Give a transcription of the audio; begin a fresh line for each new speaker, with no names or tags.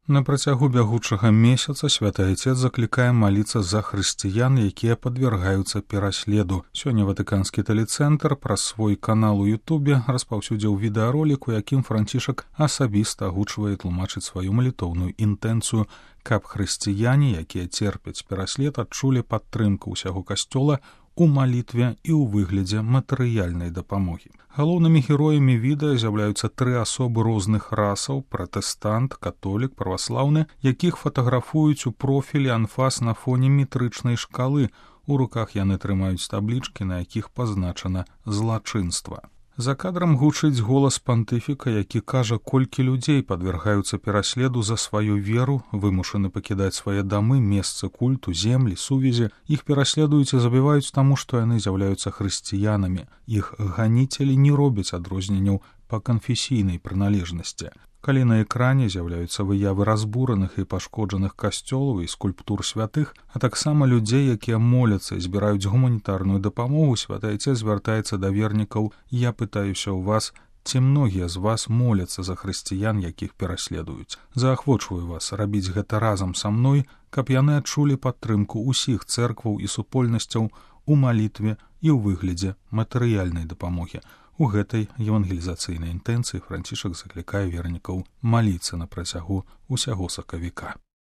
На працягу бягучага месяца святы айцец заклікае маліцца за хрысціян, якія падвяргаюцца пераследу. Сёння Ватыканскі тэлецэнтр праз свой канал у Ютубе распаўсюдзіў відэаролік, у якім Францішак асабіста агучвае тлумачыць сваю малітоўную інтэнцыю, каб хрысціяне, якія церпяць пераслед, адчулі падтрымку ўсяго касцёла у малітве і ў выглядзе матэрыяльнай дапамогі. Галоўнымі героямі відэа з'яўляюцца 3 асобы розных расаў: пратэстант, католік, праваслаўны, якіх фатаграфуюць у профілі анфас на фоне метрычнай шкалы. У руках яны трымаюць таблічкі, на якіх пазначана злачынства. За кадрам гучыць голас пантыфіка, які кажа, колькі людзей падвяргаюцца пераследу за сваю веру, вымушаны пакідаць свае дамы, месцы культу, землі, сувязі. Іх пераследуюць і забіваюць таму, што яны з'яўляюцца хрысціянамі. Іх ганіцелі не робяць адрозненняў па канфесійнай прыналежнасці. Калі на экране з'яўляюцца выявы разбураных і пашкоджаных касцёлаў і скульптур святых, а таксама людзей, якія моляцца і збіраюць гуманітарную дапамогу, святы айцец звяртаецца да вернікаў: «Я пытаюся ў вас, ці многія з вас моляцца за хрысціян, якіх пераследуюць. Заахвочваю вас рабіць гэта разам са мной, каб яны адчулі падтрымку ўсіх цэркваў і супольнасцяў у малітве і ў выглядзе матэрыяльнай дапамогі». У гэтай евангелізацыйнай інтэнцыі Францішак заклікае вернікаў маліцца на працягу ўсяго сакавіка.